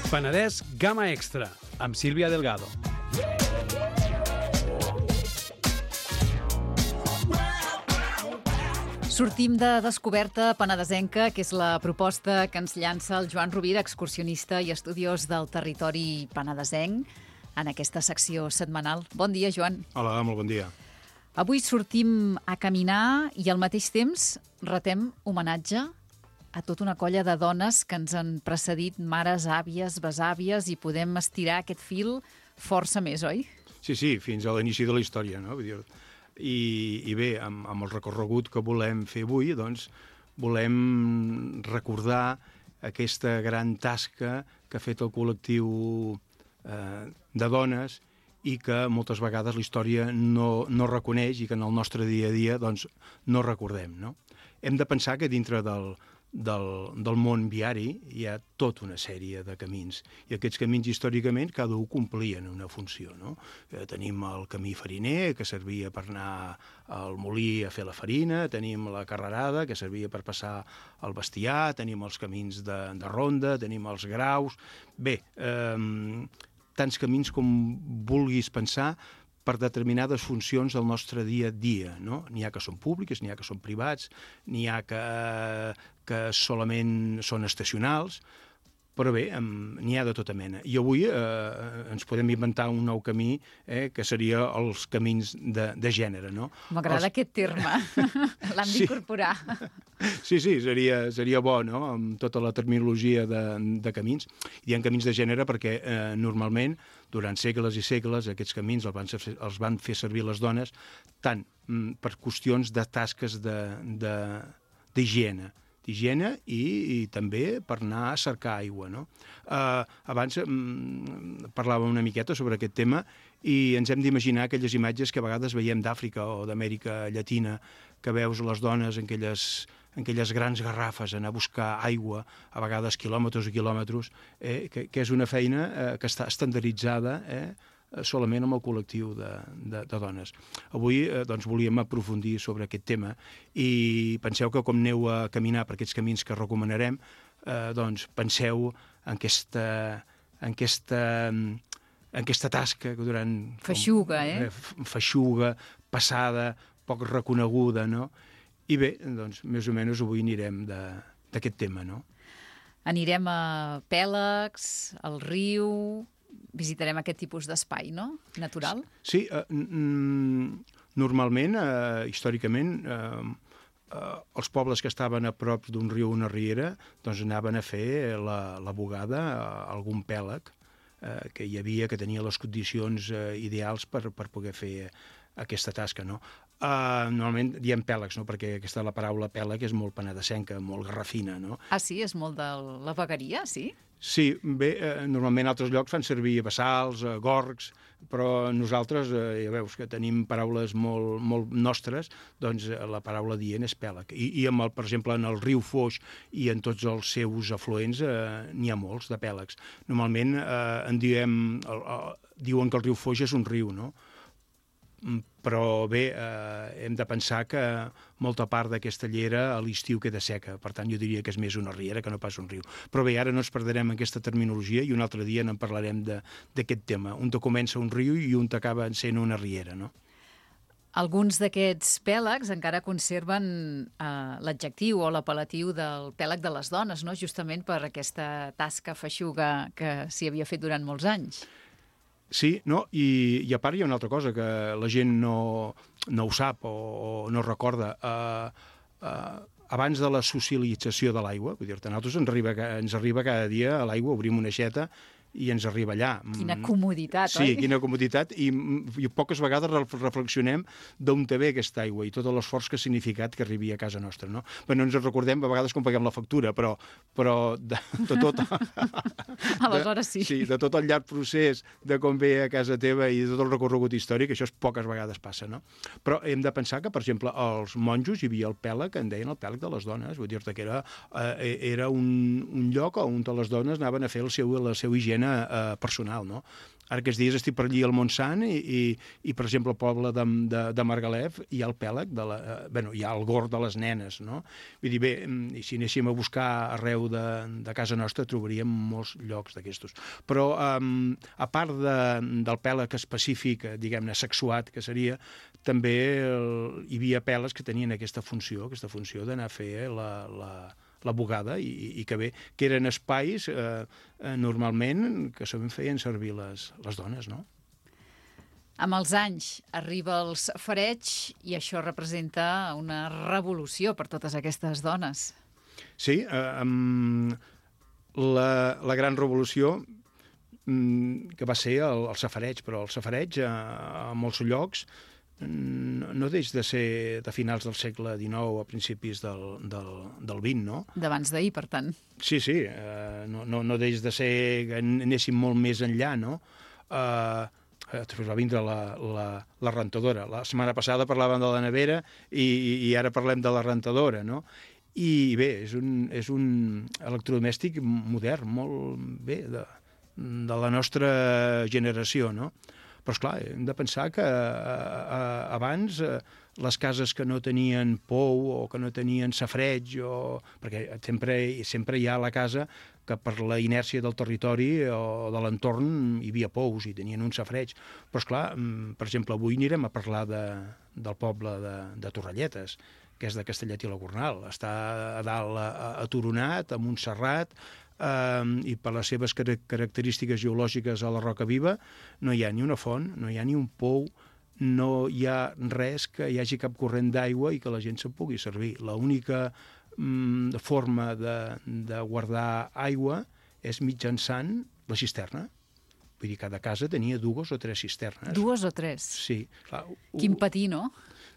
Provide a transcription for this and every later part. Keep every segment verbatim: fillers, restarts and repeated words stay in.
Penedès Gamma Extra, amb Sílvia Delgado. Sortim de Descoberta Penedesenca, que és la proposta que ens llança el Joan Rovira, excursionista i estudiós del territori penedesenc, en aquesta secció setmanal. Bon dia, Joan. Hola, molt bon dia. Avui sortim a caminar i al mateix temps retem homenatge a tota una colla de dones que ens han precedit, mares, àvies, besàvies, i podem estirar aquest fil força més, oi? Sí, sí, fins a l'inici de la història, no? Vull dir, i, i bé, amb, amb el recorregut que volem fer avui, doncs, volem recordar aquesta gran tasca que ha fet el col·lectiu eh, de dones i que moltes vegades la història no, no reconeix i que en el nostre dia a dia doncs, no recordem, no? Hem de pensar que dintre del, del, del món viari hi ha tota una sèrie de camins i aquests camins històricament cada un complien una funció, no? Eh, tenim el camí fariner que servia per anar al molí a fer la farina, tenim la carrerada que servia per passar el bestiar, tenim els camins de, de ronda, tenim els graus... Bé, eh, tants camins com vulguis pensar per determinades funcions del nostre dia a dia, no? N'hi ha que són públiques, n'hi ha que són privats, n'hi ha que, que solament són estacionals, però bé, n'hi ha de tota mena. I avui eh, ens podem inventar un nou camí eh, que seria els camins de, de gènere, no? M'agrada els... aquest terme, l'hem sí. d'incorporar. Sí, sí, seria, seria bo, no?, amb tota la terminologia de, de camins. Hi ha camins de gènere perquè eh, normalment, durant segles i segles, aquests camins els van, fer, els van fer servir les dones tant mm, per qüestions de tasques d'higiene, d'higiene i, i també per anar a cercar aigua, no? Uh, abans mm, parlàvem una miqueta sobre aquest tema i ens hem d'imaginar aquelles imatges que a vegades veiem d'Àfrica o d'Amèrica Llatina, que veus les dones en aquelles, en aquelles grans garrafes anar a buscar aigua, a vegades quilòmetres i quilòmetres, eh, que, que és una feina eh, que està estandarditzada eh, solament amb el col·lectiu de, de, de dones. Avui eh, doncs, volíem aprofundir sobre aquest tema i penseu que com aneu a caminar per aquests camins que recomanarem, eh, doncs penseu en aquesta, en aquesta, en aquesta tasca que durant... Feixuga, eh? eh? Feixuga, passada, poc reconeguda, no? I bé, doncs, més o menys avui anirem d'aquest tema, no? Anirem a Pèlegs, al riu... Visitarem aquest tipus d'espai, no?, natural? Sí, eh, normalment, eh, històricament, eh, eh, els pobles que estaven a prop d'un riu o una riera doncs anaven a fer la, la bugada a algun pèlag eh, que hi havia, que tenia les condicions eh, ideals per, per poder fer aquesta tasca, no? Uh, normalment diem pèlegs, no?, perquè aquesta la paraula pèleg és molt penedesenca, molt garrafina, no? Ah, sí? És molt de la vegueria, sí? Sí, bé, eh, normalment altres llocs fan servir bassals, eh, gorgs, però nosaltres, eh, ja veus que tenim paraules molt, molt nostres, doncs eh, la paraula dient és pèlag. I, i amb el, per exemple, en el riu Foix i en tots els seus afluents eh, n'hi ha molts de pèlegs. Normalment eh, en diem, el, el, diuen que el riu Foix és un riu, no? Però bé, eh, hem de pensar que molta part d'aquesta llera a l'estiu queda seca, per tant jo diria que és més una riera que no pas un riu. Però bé, ara no ens perderem aquesta terminologia i un altre dia en parlarem d'aquest tema. Un te comença un riu i un t'acaba sent una riera, no? Alguns d'aquests pèlegs encara conserven eh, l'adjectiu o l'apel·latiu del pèleg de les dones, no?, justament per aquesta tasca feixuga que s'hi havia fet durant molts anys. Sí, no? I, i a part hi ha una altra cosa que la gent no, no ho sap o, o no recorda. Uh, uh, abans de la socialització de l'aigua, vull dir-te, a nosaltres ens arriba, ens arriba cada dia a l'aigua, obrim una aixeta i ens arriba allà. Quina comoditat, sí, oi? Sí, quina comoditat, i, i poques vegades reflexionem d'on te ve aquesta aigua i tot l'esforç que ha significat que arribi a casa nostra, no? Però no ens recordem a vegades com paguem la factura, però, però de, de tot... Aleshores sí. De, sí, de tot el llarg procés de com ve a casa teva i de tot el recorregut històric, això poques vegades passa, no? Però hem de pensar que, per exemple, els monjos hi havia el pèlag, que en deien el pèlag de les dones, vull dir-te que era, eh, era un, un lloc on les dones anaven a fer el seu, la seva higiene higiene eh, personal, no? Ara aquests dies estic per allí al Montsant i, i, i per exemple, al poble de, de, de Margalef hi ha el pèlag, de la, eh, bueno, hi ha el gord de les nenes, no? Vull dir, bé, i si anéssim a buscar arreu de, de casa nostra trobaríem molts llocs d'aquestos. Però, um, a part de, del pèlag específic, diguem-ne, sexuat, que seria, també el, hi havia pèlags que tenien aquesta funció, aquesta funció d'anar a fer la... la la bugada, i, i que bé, que eren espais eh, eh, normalment que sovint feien servir les, les dones, no? Amb els anys arriba el safareig i això representa una revolució per totes aquestes dones. Sí, eh, um, la, la gran revolució um, que va ser el, el safareig, però el safareig eh, a molts llocs no deix de ser de finals del segle dinou a principis del, del, del vint, no? D'abans d'ahir, per tant. Sí, sí, eh, no, no, no deix de ser que anéssim molt més enllà, no? Eh, després va vindre la, la, la rentadora. La setmana passada parlàvem de la nevera i, i ara parlem de la rentadora, no? I bé, és un, és un electrodomèstic modern, molt bé, de, de la nostra generació, no? Però, esclar, hem de pensar que eh, abans eh, les cases que no tenien pou o que no tenien safareig, o... perquè sempre, sempre hi ha a la casa que per la inèrcia del territori o de l'entorn hi havia pous i tenien un safareig. Però, esclar, per exemple, avui anirem a parlar de, del poble de, de Torrelletes, que és de Castellet i la Gornal. Està a dalt aturonat, amb un serrat, Uh, i per les seves car característiques geològiques a la Roca Viva no hi ha ni una font, no hi ha ni un pou, no hi ha res que hi hagi cap corrent d'aigua i que la gent se'n pugui servir. L'única um, forma de, de guardar aigua és mitjançant la cisterna. Vull dir, cada casa tenia dues o tres cisternes. Dues o tres? Sí. Clar, Quin patir, no?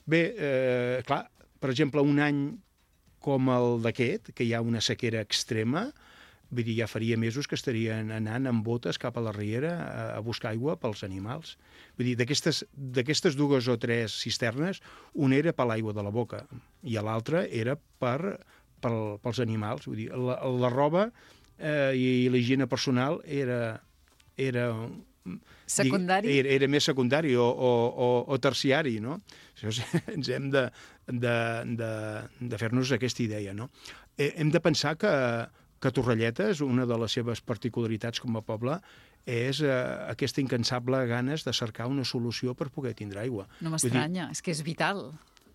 Bé, eh, clar, per exemple, un any com el d'aquest, que hi ha una sequera extrema, vull dir, ja faria mesos que estarien anant amb botes cap a la riera a, a buscar aigua pels animals. Vull dir, d'aquestes dues o tres cisternes, una era per l'aigua de la boca i l'altra era per, per, pels animals. Vull dir, la, la roba eh, i la higiene personal era... era secundari? Era, era més secundari o, o, o, o terciari, no? Això ens hem de, de, de, de fer-nos aquesta idea, no? Eh, hem de pensar que que Torrelletes, una de les seves particularitats com a poble, és eh, aquesta incansable ganes de cercar una solució per poder tindre aigua. No m'estranya, és que és vital.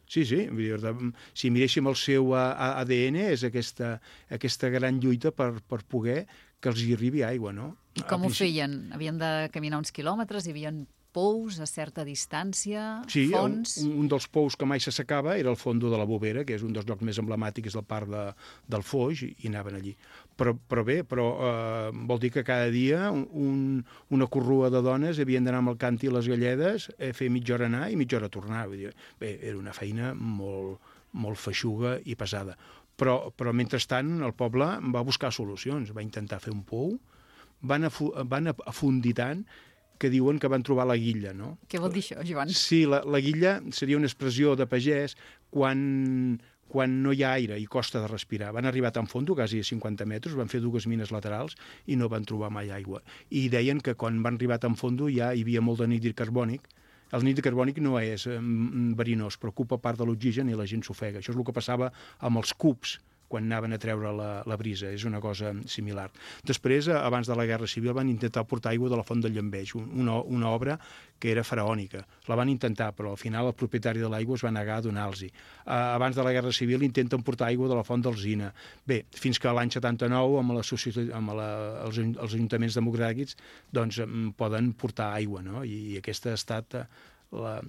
Sí, sí, vull dir, si miréssim el seu A D N, és aquesta, aquesta gran lluita per, per poder que els hi arribi aigua, no? I com ho feien? Havien de caminar uns quilòmetres, hi havia pous a certa distància, sí, fonts... Sí, un, un dels pous que mai s'assecava era el fondo de la Bovera, que és un dels llocs més emblemàtics del parc de, del Foix, i, i anaven allí. Però, però bé, però, eh, vol dir que cada dia un, una corrua de dones havien d'anar amb el cant i les galledes, eh, fer mitja hora anar i mitja hora tornar. Vull dir, bé, era una feina molt, molt feixuga i pesada. Però, però mentrestant el poble va buscar solucions, va intentar fer un pou, van, afu van afundir tant que diuen que van trobar la guilla, no? Què vol dir això, Joan? Sí, la, la guilla seria una expressió de pagès quan, quan no hi ha aire i costa de respirar. Van arribar tan fondo, quasi a cinquanta metres, van fer dues mines laterals i no van trobar mai aigua. I deien que quan van arribar tan fondo ja hi havia molt de nídrid carbònic. El nídrid carbònic no és eh, verinós, però ocupa part de l'oxigen i la gent s'ofega. Això és el que passava amb els cubs quan anaven a treure la, la brisa, és una cosa similar. Després, abans de la Guerra Civil, van intentar portar aigua de la Font del Llambeix, una, una obra que era faraònica. La van intentar, però al final el propietari de l'aigua es va negar a donar-los-hi. Uh, abans de la Guerra Civil intenten portar aigua de la Font d'Alzina. Bé, fins que l'any setanta-nou, amb, la, amb la, els, els ajuntaments democràtics, doncs poden portar aigua, no? I, i aquesta ha estat la,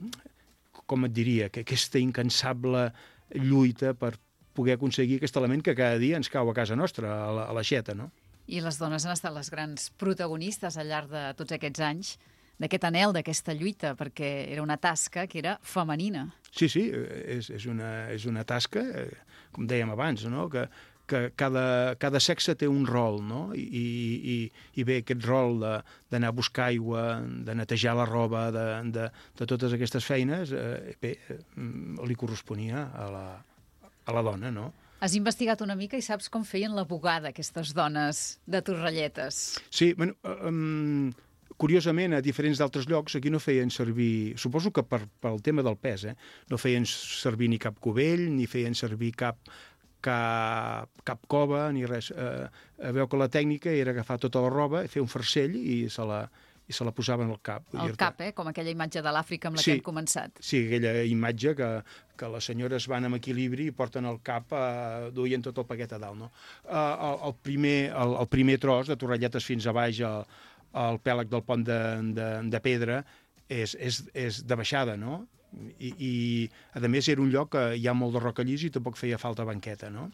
com et diria, que aquesta incansable lluita per poder aconseguir aquest element que cada dia ens cau a casa nostra, a la, a l'aixeta, no? I les dones han estat les grans protagonistes al llarg de tots aquests anys d'aquest anhel, d'aquesta lluita, perquè era una tasca que era femenina. Sí, sí, és, és, una, és una tasca, com dèiem abans, no? que, que cada, cada sexe té un rol, no? I, i, i bé, aquest rol d'anar a buscar aigua, de netejar la roba, de, de, de totes aquestes feines, eh, bé, li corresponia a la, a la dona, no? Has investigat una mica i saps com feien la bugada aquestes dones de Torrelletes. Sí, bueno, um, curiosament, a diferents d'altres llocs, aquí no feien servir, suposo que per, pel tema del pes, eh? No feien servir ni cap cubell, ni feien servir cap, cap, cap cova, ni res. Eh, veu que la tècnica era agafar tota la roba, fer un farcell i se la, i se la posaven al cap. Al cap, eh? Com aquella imatge de l'Àfrica amb la sí, que hem començat. Sí, aquella imatge que, que les senyores van amb equilibri i porten el cap, eh, duien tot el paquet a dalt, no? Eh, el, el, primer, el, el primer tros, de Torrelletes fins a baix, el, el pèlag del pont de, de, de pedra, és, és, és de baixada, no? I, i a més era un lloc que hi ha molt de roca llis i tampoc feia falta banqueta, no?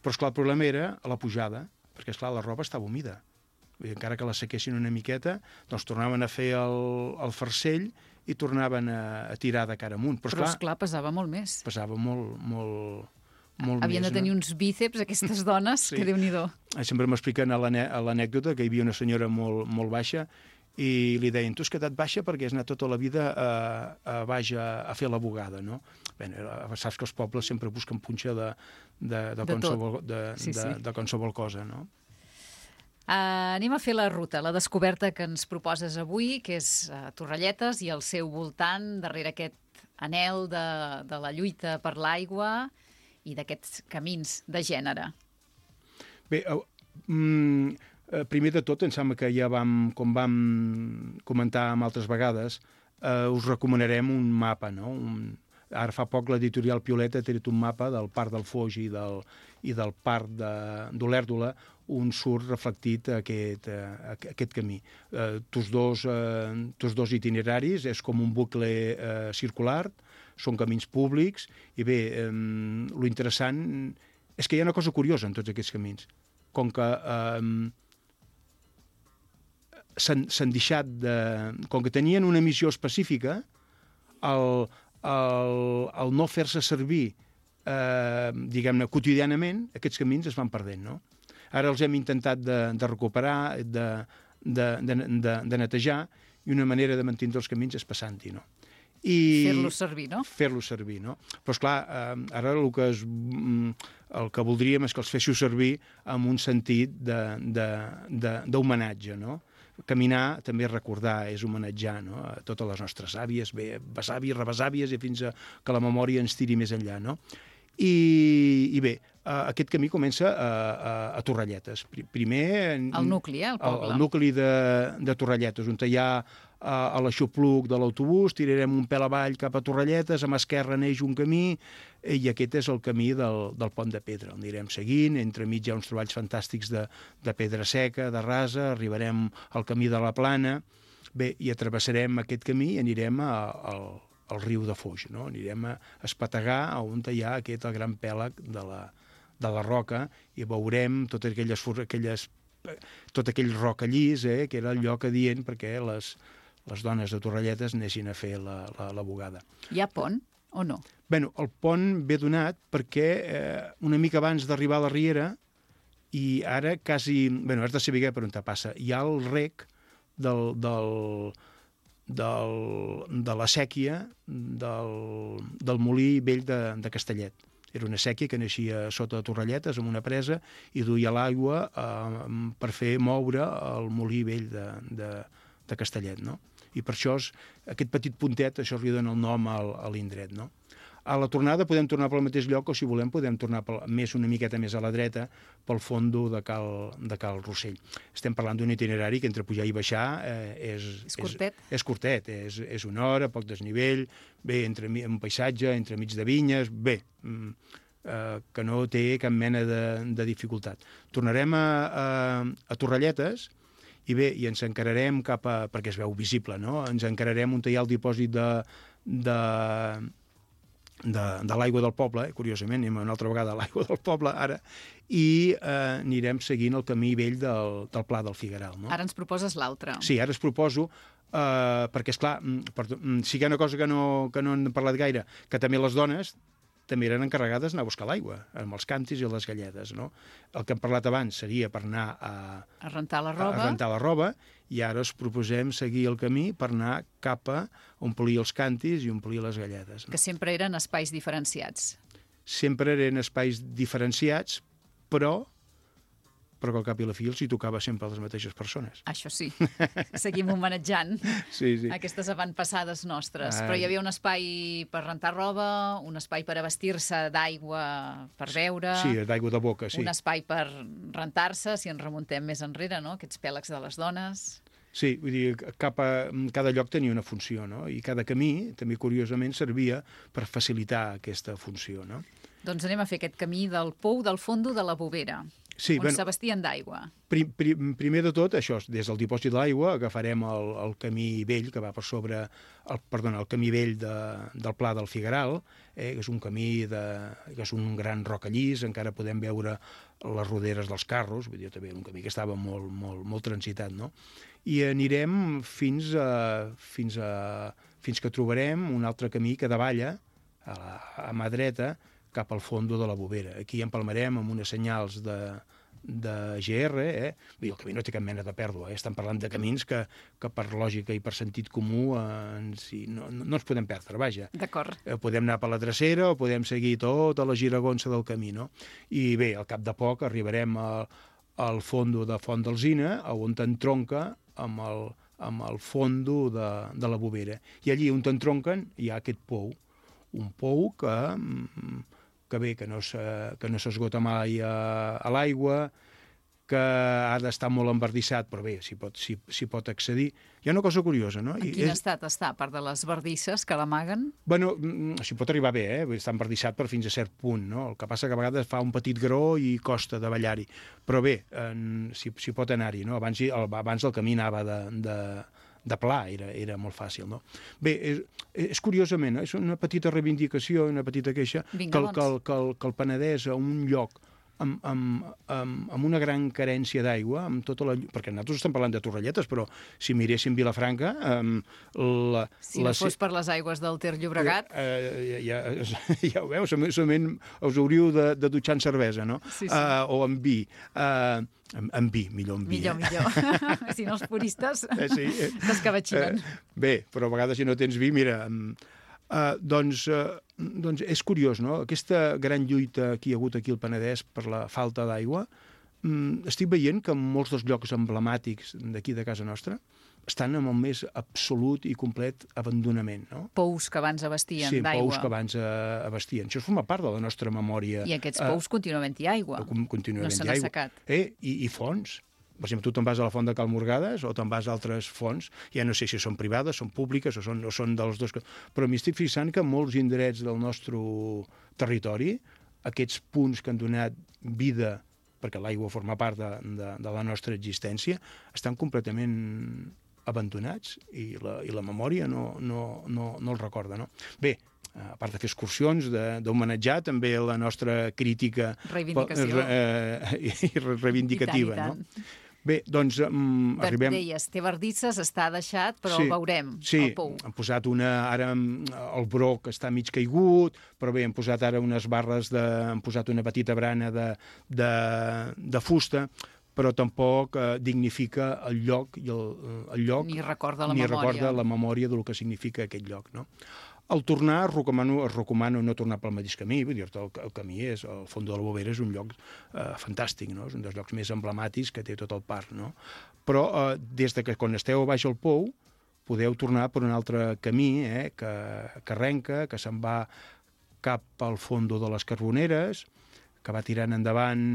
Però esclar, el problema era a la pujada, perquè esclar, la roba estava humida. Vull dir, encara que la sequessin una miqueta, doncs tornaven a fer el, el farcell i tornaven a, a tirar de cara amunt. Però, Però esclar, esclar, pesava molt més. pesava molt, molt, molt Havien més. de tenir no? uns bíceps, aquestes dones, Sí. que Déu-n'hi-do. Sempre m'expliquen a l'ane- a l'anècdota que hi havia una senyora molt, molt baixa i li deien, tu has quedat baixa perquè has anat tota la vida a, a baix a, a fer la bugada, no? Bé, saps que els pobles sempre busquen punxa de, de, de, De qualsevol, de, Sí, de, sí. de qualsevol cosa, no? Uh, anem a fer la ruta, la descoberta que ens proposes avui, que és uh, Torrelletes i el seu voltant, darrere aquest anhel de, de la lluita per l'aigua i d'aquests camins de gènere. Bé, uh, mm, uh, primer de tot, em sembla que ja vam, com vam comentar amb altres vegades, uh, us recomanarem un mapa, no? Un, ara fa poc l'editorial Pioleta ha tret un mapa del Parc del Foix i del, i del Parc d'Olèrdola, on surt reflectit aquest, uh, aquest camí. Uh, tots, dos, uh, tots dos itineraris, és com un bucle uh, circular, són camins públics, i bé, um, lo interessant és que hi ha una cosa curiosa en tots aquests camins. Com que um, s'han deixat de... Com que tenien una missió específica, el, el, el no fer-se servir, eh, diguem-ne, quotidianament, aquests camins es van perdent, no? Ara els hem intentat de, de recuperar, de, de, de, de, de netejar, i una manera de mantenir els camins és passant-hi, no? I Fer-los servir, no? Fer-los servir, no? Però, esclar, eh, ara el que, es, el que voldríem és que els féssiu servir amb un sentit d'homenatge, no? Caminar també és recordar, és homenatjar, no? A totes les nostres àvies, bé, besàvies, rebesàvies, i fins a que la memòria ens tiri més enllà, no? I, i bé, uh, aquest camí comença a, a, a Torrelletes. Primer... El nucli, eh, el poble. El, el nucli de, de Torrelletes, on hi ha uh, a l'aixopluc de l'autobús, tirarem un pèl avall cap a Torrelletes, a mà esquerra neix un camí, i aquest és el camí del, del Pont de Pedra. El anirem seguint, entremig hi ha uns treballs fantàstics de, de pedra seca, de rasa, arribarem al camí de la Plana, bé, i atravessarem aquest camí i anirem a, al al riu de Foix, no? Anirem a espategar on hi ha aquest el gran pèlag de la, de la roca i veurem totes aquelles, aquelles, tot aquell roca llis, eh, que era el lloc adient perquè les, les dones de Torrelletes anessin a fer la, la, la bugada. Hi ha pont o no? Bé, el pont ve donat perquè eh, una mica abans d'arribar a la Riera, i ara quasi... Bé, has de saber per on te passa. Hi ha el rec del... del Del, de la sèquia del, del molí vell de, de Castellet. Era una sèquia que naixia sota de Torrelletes, amb una presa, i duia l'aigua eh, per fer moure el molí vell de, de, de Castellet, no? I per això, és, aquest petit puntet, això li dona el nom al, a l'indret, no? A la tornada podem tornar pel mateix lloc, o si volem podem tornar pel, més una miqueta més a la dreta pel fondo de Cal, de Cal Rossell. Estem parlant d'un itinerari que entre pujar i baixar eh, és, és curtet. És, és curtet, és, és una hora, poc desnivell, bé, entre un paisatge, entre mig de vinyes, bé, eh, que no té cap mena de, de dificultat. Tornarem a, a, a Torrelletes, i bé, i ens encararem cap a... perquè es veu visible, no? Ens encararem on hi ha el dipòsit de... de de, de l'aigua del poble, eh? Curiosament, anem una altra vegada a l'aigua del poble ara, i eh, anirem seguint el camí vell del, del Pla del Figueral. No? Ara ens proposes l'altre. Sí, ara es proposo, eh, perquè, esclar, per, si hi ha una cosa que no, que no hem parlat gaire, que també les dones també eren encarregades d'anar a buscar l'aigua, amb els càntirs i les galledes, no? El que hem parlat abans seria per anar a, a rentar la roba, a rentar la roba, i ara us proposem seguir el camí per anar cap a omplir els càntirs i omplir les galledes. No? Que sempre eren espais diferenciats. sempre eren espais diferenciats, però però que al cap i a la fi els hi tocava sempre a les mateixes persones. Això sí, seguim homenatjant sí, sí. aquestes avantpassades nostres. Ah, Però hi havia un espai per rentar roba, un espai per abastir-se d'aigua per beure... Sí, d'aigua de boca, sí. Un espai per rentar-se, si ens remuntem més enrere, no? Aquests pèlegs de les dones... Sí, vull dir, cap a, cada lloc tenia una funció, no? I cada camí, també curiosament, servia per facilitar aquesta funció, no? Doncs anem a fer aquest camí del pou del fondo de la Bovera, sí, on bueno, s'abastien d'aigua. Prim, prim, primer de tot, això, des del dipòsit de l'aigua agafarem el, el camí vell que va per sobre, el, perdona, el camí vell de, del Pla del Figueral, eh, que és un camí de, que és un gran rocallís, encara podem veure les roderes dels carros, vull dir, també un camí que estava molt, molt, molt transitat, no? I anirem fins a, fins a, fins que trobarem un altre camí que davalla a, la, a mà dreta cap al fondo de la Bovera. Aquí empalmarem amb unes senyals de, de G R, eh? Vull dir, el camí no té cap mena de pèrdua, eh? Estem parlant de camins que, que per lògica i per sentit comú eh, ens, no, no, no ens podem perdre, vaja. D'acord. Eh, podem anar per la drecera o podem seguir tota la giragonsa del camí, no? I bé, al cap de poc arribarem a, al fondo de Font d'Alzina, on t'entronca amb el, amb el fondo de, de la Bovera. I allí on t'entronquen hi ha aquest pou, un pou que, que bé, que no s'esgota mai a, a l'aigua, que ha d'estar molt embardissat, però bé, s'hi pot, s'hi, s'hi pot accedir. Hi ha una cosa curiosa, no? En quin és... estat està, a part de les bardisses que l'amaguen? Bueno, s'hi pot arribar bé, eh? Està embardissat per fins a cert punt, no? El que passa que a vegades fa un petit gró i costa de ballar-hi. Però bé, s'hi pot anar-hi, no? Abans, abans el camí anava de... de de pla, era, era molt fàcil, no? Bé, és, és curiosament, és una petita reivindicació, una petita queixa, Vinga, que, el, doncs. que, el, que, el, que el Penedès, a un lloc amb, amb, amb, amb una gran carència d'aigua, amb tota la... perquè nosaltres estem parlant de Torrelletes, però si miréssim Vilafranca... La, si no la... fos per les aigües del Ter Llobregat... Eh, ja, ja ho veus, solament us hauríeu de, de dutxar en cervesa, no? Sí, sí. Uh, o en vi. Uh, amb, amb vi, millor amb vi. Millor, eh? millor. Si no, els puristes eh, sí, eh, t'escabatxinen. Eh, bé, però a vegades si no tens vi, mira... Uh, doncs, uh, doncs és curiós, no? Aquesta gran lluita que hi ha hagut aquí al Penedès per la falta d'aigua, um, estic veient que en molts dels llocs emblemàtics d'aquí de casa nostra estan amb el més absolut i complet abandonament, no? Pous que abans abastien sí, d'aigua. Sí, pous que abans uh, abastien. Això forma part de la nostra memòria. I aquests pous uh, continua havent-hi aigua. Continua no havent-hi se n'ha aigua. secat. Eh? I, I fonts. Per exemple, tu te'n vas a la font de Cal Morgades o te'n vas a altres fonts, ja no sé si són privades, són públiques o són, o són dels dos... Però m'hi estic fixant que en molts indrets del nostre territori, aquests punts que han donat vida, perquè l'aigua forma part de, de, de la nostra existència, estan completament abandonats i la, i la memòria no, no, no, no els recorda, no? Bé, a part de fer excursions, d'homenatjar també la nostra crítica reivindicació eh, i reivindicativa, I tant, i tant. No? Bé, doncs um, arribem... Deies, té bardisses, està deixat, però sí, el veurem, sí, el pou. Sí, han posat una... Ara el broc està mig caigut, però bé, han posat ara unes barres de... Han posat una petita brana de, de, de fusta, però tampoc eh, dignifica el lloc i el, el lloc... Ni recorda la ni memòria. recorda la memòria del que significa aquest lloc, no? Al tornar, recomano, recomano no tornar pel mateix camí, vull dir-te, el, el camí és, el Font de la Bovera és un lloc eh, fantàstic, no? És un dels llocs més emblemàtics que té tot el parc, no? Però eh, des de que quan esteu a baix al pou, podeu tornar per un altre camí, eh, que, que arrenca, que se'n va cap al fondo de les Carboneres, que va tirant endavant,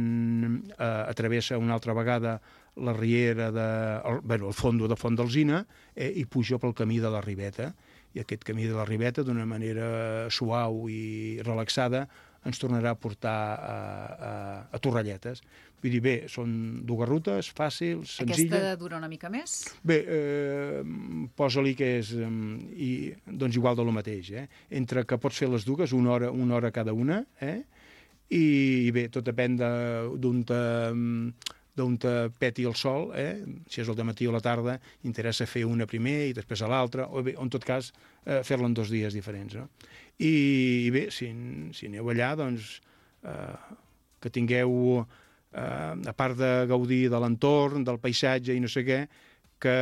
eh, atravessa una altra vegada la riera de... El, bueno, el fondo de Font d'Alzina, eh, i puja pel camí de la Ribeta. I aquest camí de la Ribeta, d'una manera suau i relaxada, ens tornarà a portar a, a, a Torrelletes. Vull dir, bé, són dues rutes fàcils, senzilles... Aquesta dura una mica més? Bé, eh, posa-li que és eh, i, doncs igual de lo mateix, eh? Entre que pots fer les dues, una hora, una hora cada una, eh? I, i bé, tot depèn d'on te... d'on te peti el sol, eh? Si és el dematí o la tarda, interessa fer una primer i després a l'altra, o bé, en tot cas, eh, fer-la en dos dies diferents, no? I, i bé, si, si aneu allà, doncs, eh, que tingueu, eh, a part de gaudir de l'entorn, del paisatge i no sé què, que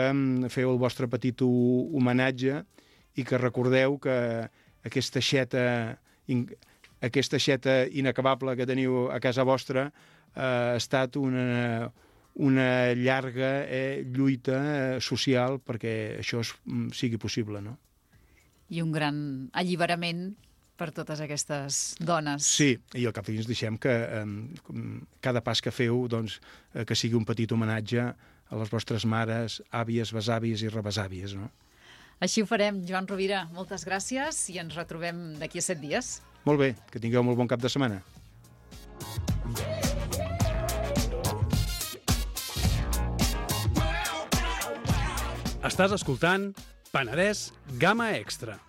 feu el vostre petit homenatge i que recordeu que aquesta xeta... aquesta aixeta inacabable que teniu a casa vostra eh, ha estat una, una llarga eh, lluita eh, social perquè això es, sigui possible, no? I un gran alliberament per totes aquestes dones. Sí, i al cap i ens deixem que eh, cada pas que feu doncs, eh, que sigui un petit homenatge a les vostres mares, àvies, besàvies i rebesàvies, no? Així ho farem. Joan Rovira, moltes gràcies i ens retrobem d'aquí a set dies. Molt bé, que tingueu molt bon cap de setmana. Estàs escoltant Penedès Gamma Extra.